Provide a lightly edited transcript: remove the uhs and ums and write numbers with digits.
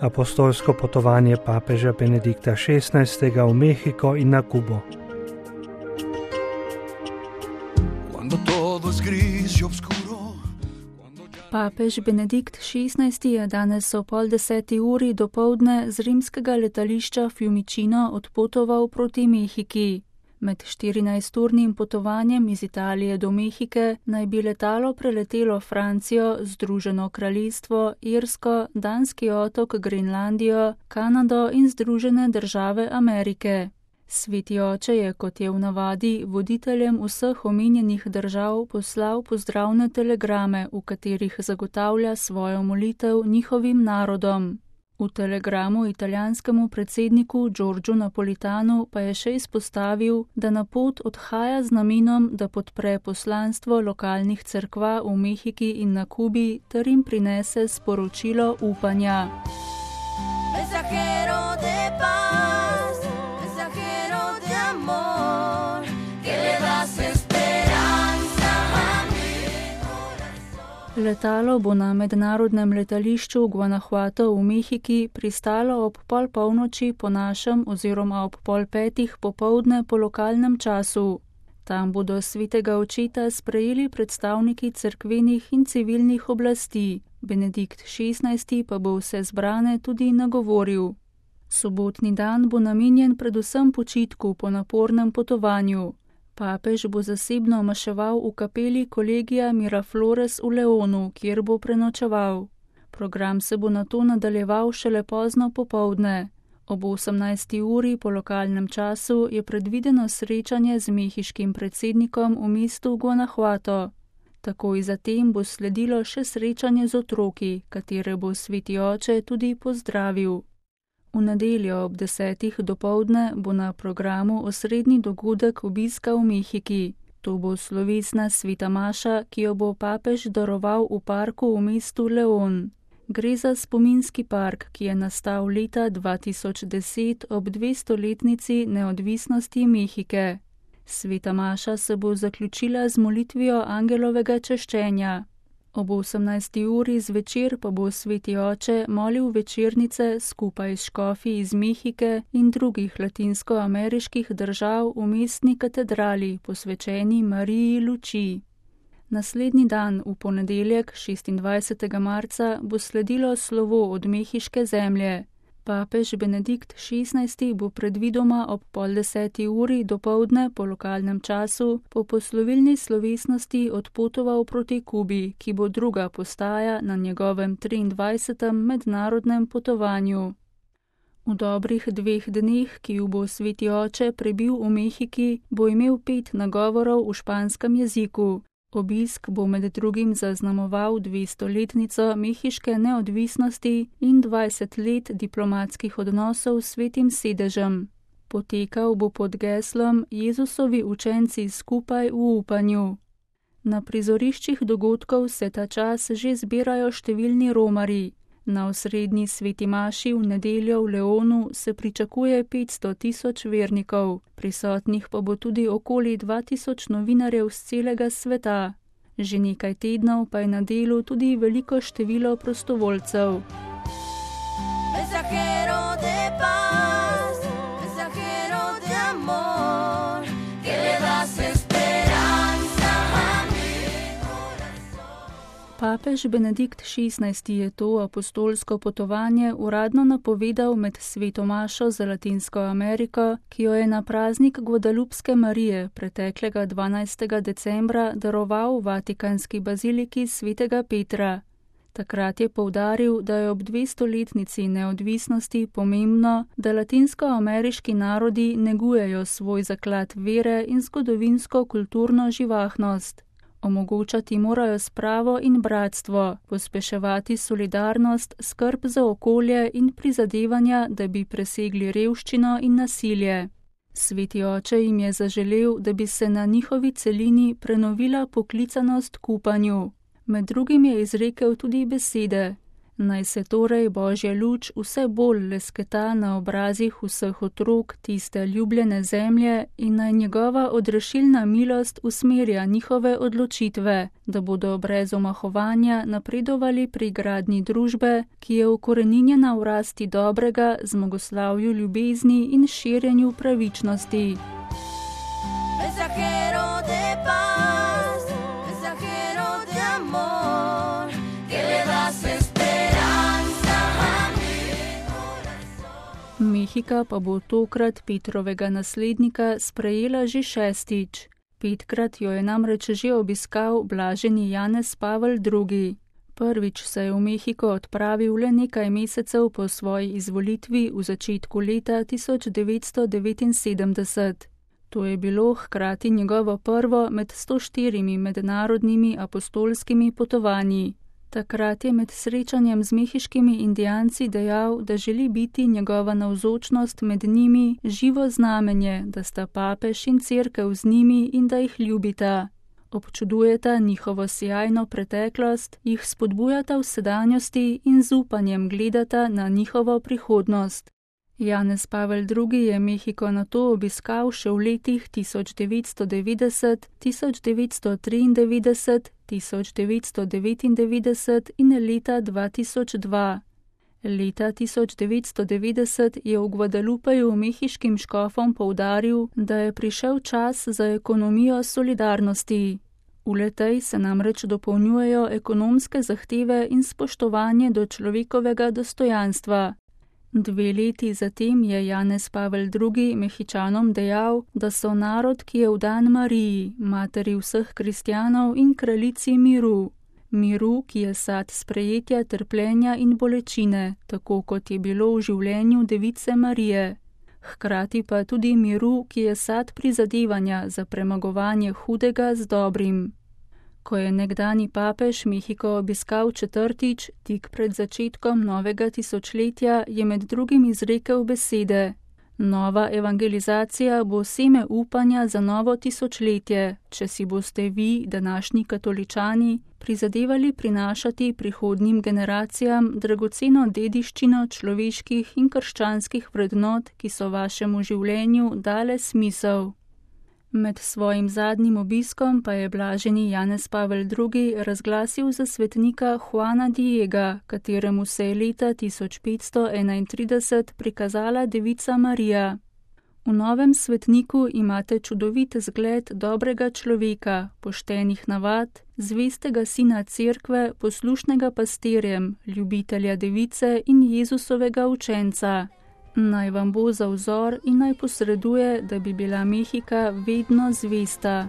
apostolsko potovanje papeža Benedikta XVI. V Mehiko in na Kubo. Papež Benedikt XVI. Je danes ob 9:30 dopoldne z rimskega letališča Fiumicino odpotoval proti Mehiki. Med 14-urnim potovanjem iz Italije do Mehike naj bi letalo preletelo Francijo, Združeno kraljestvo, Irsko, Danski otok, Grenlandijo, Kanado in Združene države Amerike. Sveti oče je, kot je v navadi, voditeljem vseh omenjenih držav poslal pozdravne telegrame, v katerih zagotavlja svojo molitev njihovim narodom. V telegramu italijanskemu predsedniku Giorgiu Napolitanu pa je še izpostavil, da na pot odhaja z namenom, da podpre poslanstvo lokalnih cerkva v Mehiki in na Kubi ter jim prinese sporočilo upanja. Letalo bo na mednarodnem letališču Guanajuato v Mehiki pristalo ob 4:30 po našem oziroma ob 4:30 popoldne po lokalnem času. Tam bodo svetega očeta sprejeli predstavniki cerkvenih in civilnih oblasti. Benedikt XVI. Pa bo vse zbrane tudi nagovoril. Sobotni dan bo namenjen predvsem počitku po napornem potovanju. Papež bo zasebno maševal v kapeli Kolegija Miraflores v Leonu, kjer bo prenočeval. Program se bo nato nadaljeval šele pozno popoldne. Ob 18:00 po lokalnem času je predvideno srečanje z mehiškim predsednikom v mestu Guanajuato. Takoj zatem bo sledilo še srečanje z otroki, katere bo sveti oče tudi pozdravil. V nedeljo ob 10:00 dopoldne bo na programu osrednji dogodek obiska v Mehiki. To bo slovesna sveta maša, ki jo bo papež daroval v parku v mestu Leon. Gre za spominski park, ki je nastal leta 2010 ob 200-letnici neodvisnosti Mehike. Sveta maša se bo zaključila z molitvijo angelovega češčenja. Ob 18:00 zvečer pa bo sveti oče molil večernice skupaj s škofi iz Mehike in drugih latinskoameriških držav v mestni katedrali, posvečeni Mariji luči. Naslednji dan, v ponedeljek, 26. marca, bo sledilo slovo od mehiške zemlje. Papež Benedikt XVI. Bo predvidoma ob 9:30 dopoldne po lokalnem času po poslovilni slovesnosti odpotoval proti Kubi, ki bo druga postaja na njegovem 23. mednarodnem potovanju. V dobrih 2 dneh, ki ju bo sveti oče prebil v Mehiki, bo imel 5 nagovorov v španskem jeziku. Obisk bo med drugim zaznamoval 200-letnico mehiške neodvisnosti in 20 let diplomatskih odnosov s Svetim sedežem. Potekal bo pod geslom Jezusovi učenci skupaj v upanju. Na prizoriščih dogodkov se ta čas že zbirajo številni romarji. Na osrednji sveti maši v nedeljo v Leonu se pričakuje 500 000 vernikov, prisotnih pa bo tudi okoli 2000 novinarjev z celega sveta. Že nekaj tednov pa je na delu tudi veliko število prostovoljcev. Papež Benedikt XVI. Je to apostolsko potovanje uradno napovedal med sveto mašo za Latinsko Ameriko, ki jo je na praznik Guadalupske Marije preteklega 12. decembra daroval v Vatikanski baziliki svetega Petra. Takrat je poudaril, da je ob 200-letnici neodvisnosti pomembno, da latinskoameriški narodi negujejo svoj zaklad vere in zgodovinsko-kulturno živahnost. Omogočati morajo spravo in bratstvo, pospeševati solidarnost, skrb za okolje in prizadevanja, da bi presegli revščino in nasilje. Sveti oče jim je zaželel, da bi se na njihovi celini prenovila poklicanost k upanju. Med drugim je izrekel tudi besede: Naj se torej Božja luč vse bolj lesketa na obrazih vseh otrok tiste ljubljene zemlje in naj njegova odrešilna milost usmerja njihove odločitve, da bodo brez omahovanja napredovali pri gradnji družbe, ki je ukoreninjena v rasti dobrega, zmagoslavju ljubezni in širjenju pravičnosti. Mensajero de paz, mensajero de amor, que le das esperanza a mi corazón. Mehika pa bo tokrat Petrovega naslednika sprejela že 6. 5-krat jo je namreč že obiskal blaženi Janez Pavel II. Prvič se je v Mehiko odpravil le nekaj mesecev po svoji izvolitvi v začetku leta 1979. To je bilo hkrati njegovo prvo med 104 mednarodnimi apostolskimi potovanji. Takrat je med srečanjem z mehiškimi indijanci dejal, da želi biti njegova navzočnost med njimi živo znamenje, da sta papež in cerkev z njimi in da jih ljubita. Občudujeta njihovo sijajno preteklost, jih spodbujata v sedanjosti in z upanjem gledata na njihovo prihodnost. Janez Pavel II. Je Mehiko nato obiskal še v letih 1990, 1993, 1999 in leta 2002. Leta 1990 je v Guadalupeju mehiškim škofom poudaril, da je prišel čas za ekonomijo solidarnosti. V letej se namreč dopolnjujejo ekonomske zahteve in spoštovanje do človekovega dostojanstva. 2 leti zatem je Janez Pavel II. Mehičanom dejal, da so narod, ki je vdan Mariji, materi vseh kristjanov in kraljici miru. Miru, ki je sad sprejetja, trpljenja in bolečine, tako kot je bilo v življenju device Marije. Hkrati pa tudi miru, ki je sad prizadevanja za premagovanje hudega z dobrim. Ko je nekdani papež Mehiko obiskal 4. tik pred začetkom novega tisočletja, je med drugim izrekel besede: Nova evangelizacija bo seme upanja za novo tisočletje, če si boste vi, današnji katoličani, prizadevali prinašati prihodnjim generacijam dragoceno dediščino človeških in krščanskih vrednot, ki so vašemu življenju dale smisel. Med svojim zadnjim obiskom pa je blaženi Janez Pavel II. Razglasil za svetnika Juana Diega, kateremu se je leta 1531 prikazala devica Marija. V novem svetniku imate čudovit zgled dobrega človeka, poštenih navad, zvestega sina cerkve, poslušnega pastirjem, ljubitelja device in Jezusovega učenca. Naj vam bo za vzor in naj posreduje, da bi bila Mehika vedno zvesta.